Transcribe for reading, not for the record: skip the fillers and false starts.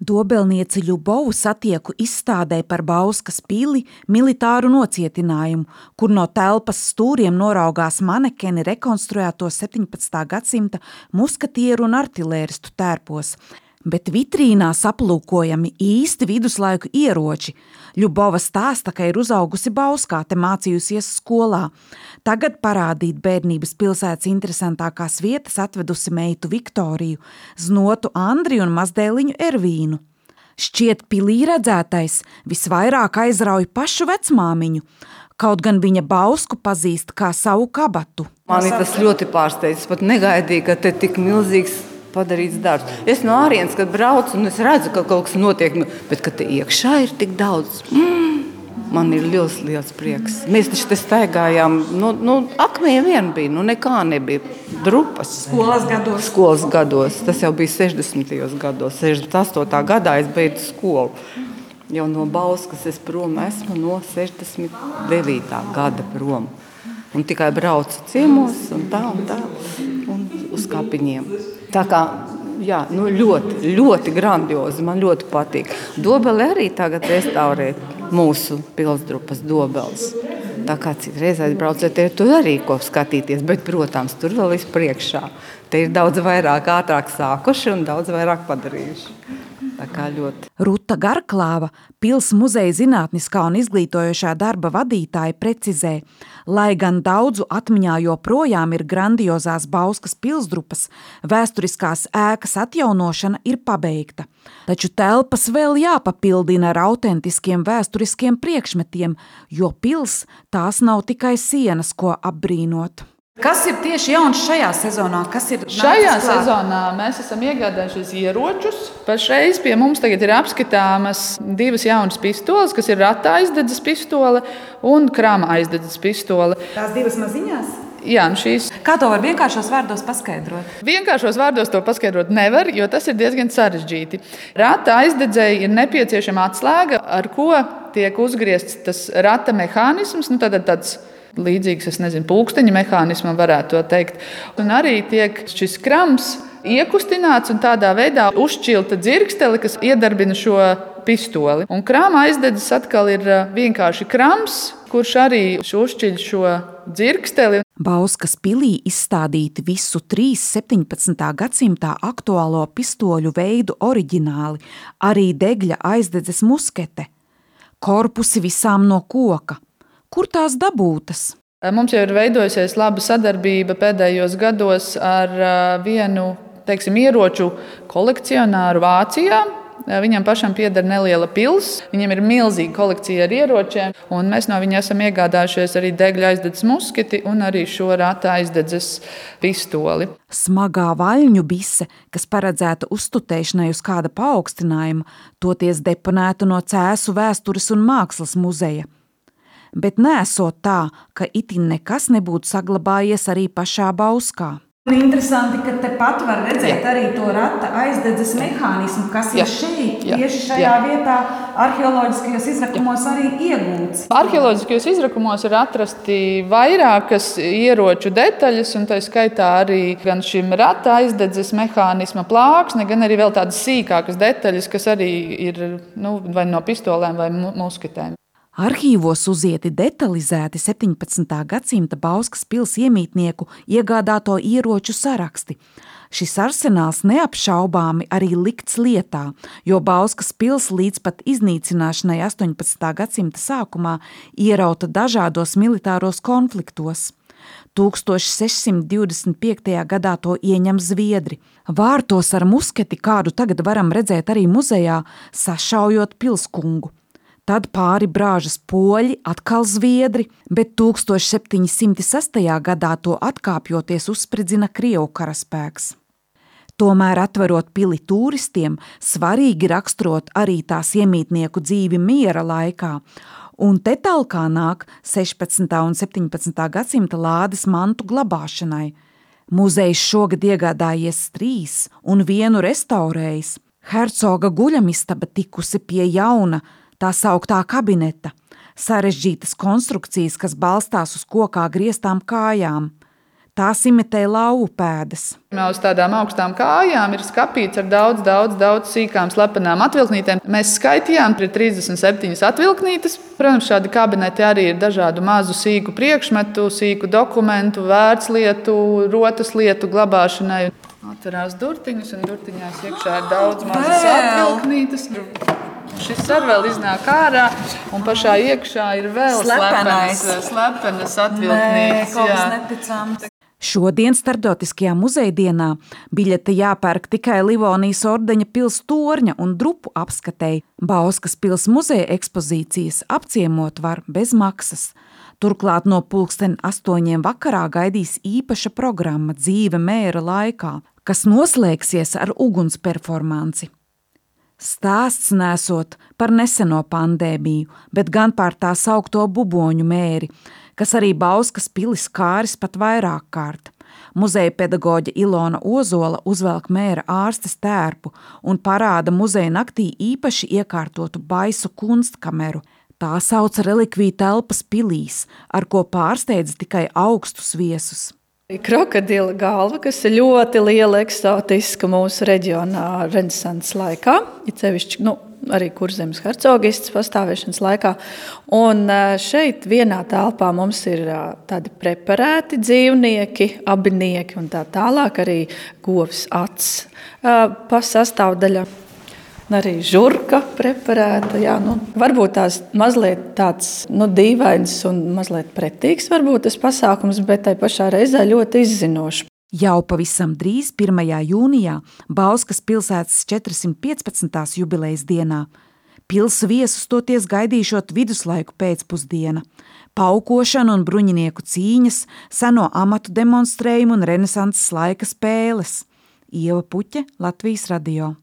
Dobelnieci Ļubovu satieku izstādē par Bauskas pili militāru nocietinājumu, kur no telpas stūriem noraugās manekeni rekonstruēto 17. gadsimta muskatieru un artilēristu tērpos, bet vitrīnā aplūkojami īsti viduslaiku ieroči. Ļubova stāsta, ka ir uzaugusi Bauskā, te mācījusies skolā. Tagad parādīt bērnības pilsētas interesantākās vietas atvedusi meitu Viktoriju, znotu Andriju un mazdēliņu Ervīnu. Šķiet pilī redzētais visvairāk aizrauj pašu vecmāmiņu, kaut gan viņa Bausku pazīst kā savu kabatu. Mani tas ļoti pārsteidz, pat negaidīju, ka te tik milzīgs padarīts darbs. Es no ārienes, kad braucu, un es redzu, ka kaut kas notiek, bet ka te iekšā ir tik daudz. Man ir ļoti liels prieks. Mēs taču te staigājām, akmeņi vien bija, nekā nebija. Drupas. Skolas gados. Tas jau bija 60. gados. 68. gadā es beidzu skolu. Jau no Bauskas es prom esmu no 69. gada prom. Un tikai braucu ciemos un tā, un uz kapiņiem. Tā kā, jā, ļoti, ļoti grandiozi, man ļoti patīk. Dobeli arī tagad restaurē mūsu pilsdrupas dobeles. Tā kā citreiz aizbrauciet, tur arī ko skatīties, bet, protams, tur vēl priekšā. Te ir daudz vairāk ātrāk sākuši un daudz vairāk padarījuši. Tā kā ļoti. Ruta Garklāva, pils muzeja zinātniskā un izglītojošā darba vadītāja precizē, lai gan daudzu atmiņā joprojām ir grandiozās Bauskas pilsdrupas, vēsturiskās ēkas atjaunošana ir pabeigta. Taču telpas vēl jāpapildina ar autentiskiem vēsturiskiem priekšmetiem, jo pils tās nav tikai sienas, ko apbrīnot. Kas ir tieši jauns šajā sezonā? Šajā sezonā mēs esam iegādājušies ieročus. Pašreiz pie mums tagad ir apskatāmas 2 jaunas pistoles, kas ir rata aizdedzes pistole un krāma aizdedzes pistole. Tās 2 maziņās? Jā, šīs. Kā to var vienkāršos vārdos paskaidrot? Vienkāršos vārdos to paskaidrot nevar, jo tas ir diezgan sarežģīti. Rata aizdedzēji ir nepieciešama atslēga, ar ko tiek uzgriezts tas rata mehānisms, tāds līdzīgs, pulksteņa mehānismam varētu to teikt. Un arī tiek šis krams iekustināts un tādā veidā uzšķilta dzirkstele, kas iedarbina šo pistoli. Un krāma aizdedzes atkal ir vienkārši krams, kurš arī uzšķiļ šo dzirksteli. Bauskas pilī izstādīti visu 3 17. gadsimtā aktuālo pistoļu veidu oriģināli, arī degļa aizdedzes muskete. Korpusi visām no koka. Kur tās dabūtas? Mums jau ir veidojusies laba sadarbība pēdējos gados ar vienu, ieroču kolekcionāru Vācijā. Viņam pašam pieder neliela pils, viņam ir milzīga kolekcija ar ieročiem, un mēs no viņa esam iegādājušies arī degļa aizdedzes musketi un arī šo rata aizdedzes pistoli. Smagā vaļņu bise, kas paredzēta uztutēšanai uz kāda paaugstinājuma, toties deponēta no Cēsu vēstures un mākslas muzeja. Bet nesot tā, ka itin nekas nebūtu saglabājies arī pašā Bauskā. Interesanti, ka tepat var redzēt arī to rata aizdedzes mehānismu, kas ir šeit, tieši šajā vietā arheoloģiskajos izrakumos arī iegūts. Arheoloģiskajos izrakumos ir atrasti vairākas ieroču detaļas, un tā skaitā arī gan šim rata aizdedzes mehānisma plāksne, gan arī vēl tādas sīkākas detaļas, kas arī ir vai no pistolēm vai musketēm. Arhīvos uzieti detalizēti 17. gadsimta Bauskas pils iemītnieku iegādāto ieroču saraksti. Šis arsenāls neapšaubāmi arī likts lietā, jo Bauskas pils līdz pat iznīcināšanai 18. gadsimta sākumā ierauta dažādos militāros konfliktos. 1625. gadā to ieņem Zviedri. Vārtos ar musketi, kādu tagad varam redzēt arī muzejā, sašaujot pilskungu. Tad pāri brāžas poļi, atkal Zviedri, bet 1706. gadā to atkāpjoties uzspridzina Krievu karaspēks. Tomēr atverot pili turistiem, svarīgi raksturot arī tās iemītnieku dzīvi miera laikā, un te talkā nāk 16. un 17. gadsimta lādes mantu glabāšanai. Muzejs šogad iegādājies 3 un 1 restaurējis. Hercoga guļamistaba tikusi pie jauna, tā sauktā kabineta, sarežģītas konstrukcijas, kas balstās uz kokā grieztām kājām. Tās imitē lauvu pēdas. Uz tādām augstām kājām ir skapīts ar daudz sīkām slepenām atvilknītēm. Mēs skaitījām, ir 37 atvilknītes. Protams, šādi kabineti arī ir dažādu mazu sīku priekšmetu, sīku dokumentu, vērtslietu, rotas lietu glabāšanai. Atverās durtiņus, un durtiņās iekšā ir daudz mazas atvilknītes. Šis ar vēl iznāk ārā, un pašā iekšā ir vēl slepenas atvilknītes. Kaut kas neticams. Šodien Starptautiskajā muzeja dienā biļete jāpērk tikai Livonijas ordeņa pils torņa un drupu apskatei. Bauskas pils muzeja ekspozīcijas apciemot var bez maksas. Turklāt no 8:00 vakarā gaidīs īpaša programma Dzīve mēra laikā, kas noslēgsies ar uguns performanci. Stāsts nesot par neseno pandēmiju, bet gan par tā saukto buboņu mēri, kas arī Bauskas pilis kāris pat vairāk kārt. Muzeja pedagoģe Ilona Ozola uzvelk mēra ārstes tērpu un parāda muzeja naktī īpaši iekārtotu baisu kunstkameru. Tā sauc relikviju telpas pilīs, ar ko pārsteidz tikai augstus viesus. Krokodila galva, kas ir ļoti liela eksotiska mūsu reģionā renesanses laikā, it sevišķi, arī Kurzemes hercogistes pastāvēšanas laikā. Un šeit vienā telpā mums ir tādi preparēti dzīvnieki, abinieki un tā tālāk, arī govs acs pa sastāvdaļa. Arī žurka preparēta. Varbūt tās mazliet tāds dīvains un mazliet pretīgs varbūt tas pasākums, bet tai pašā reizē ļoti izzinošs. Jau pavisam drīz 1. jūnijā Bauskas pilsētas 415. jubilejas dienā. Pils viesus toties gaidīšot viduslaiku pēcpusdiena, paukošana un bruņinieku cīņas, seno amatu demonstrējumu un renesanses laika spēles. Ieva Puķe, Latvijas radio.